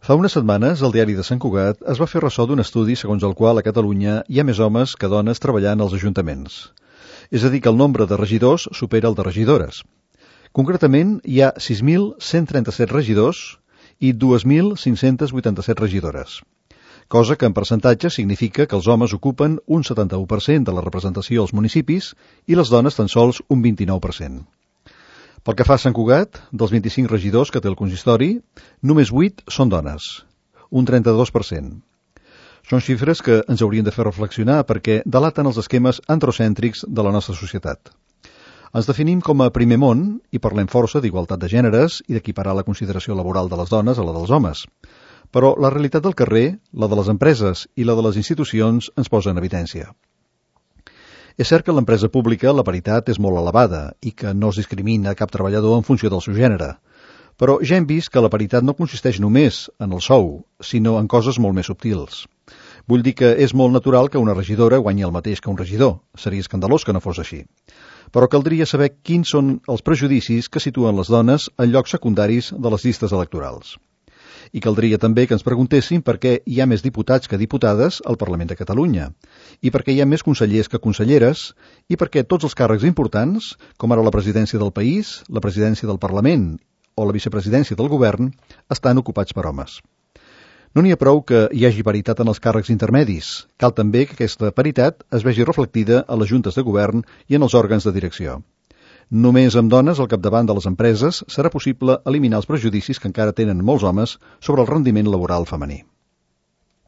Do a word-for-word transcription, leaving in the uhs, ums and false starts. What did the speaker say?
Fa unes setmanes, el diari de Sant Cugat es va fer ressò d'un estudi segons el qual a Catalunya hi ha més homes que dones treballant als ajuntaments. És a dir, que el nombre de regidors supera el de regidores. Concretament, hi ha sis mil cent trenta-set regidors i dos mil cinc-cents vuitanta-set regidores, cosa que en percentatge significa que els homes ocupen un setanta-u per cent de la representació als municipis i les dones tan sols un vint-i-nou per cent. Pel que fa a Sant Cugat, dels vint-i-cinc regidors que té el consistori, només vuit són dones, un trenta-dos per cent. Són xifres que ens haurien de fer reflexionar perquè delaten els esquemes androcèntrics de la nostra societat. Ens definim com a primer món i parlem força d'igualtat de gèneres i d'equiparar la consideració laboral de les dones a la dels homes. Però la realitat del carrer, la de les empreses i la de les institucions ens posa en evidència. És cert que en l'empresa pública la paritat és molt elevada i que no es discrimina cap treballador en funció del seu gènere. Però ja hem vist que la paritat no consisteix només en el sou, sinó en coses molt més subtils. Vull dir que és molt natural que una regidora guanyi el mateix que un regidor. Seria escandalós que no fos així. Però caldria saber quins són els prejudicis que situen les dones en llocs secundaris de les llistes electorals. I caldria també que ens preguntéssim per què hi ha més diputats que diputades al Parlament de Catalunya, i per què hi ha més consellers que conselleres, i per què tots els càrrecs importants, com ara la presidència del país, la presidència del Parlament o la vicepresidència del govern, estan ocupats per homes. No n'hi ha prou que hi hagi paritat en els càrrecs intermedis, cal també que aquesta paritat es vegi reflectida a les juntes de govern i en els òrgans de direcció. Només amb dones al capdavant de les empreses serà possible eliminar els prejudicis que encara tenen molts homes sobre el rendiment laboral femení.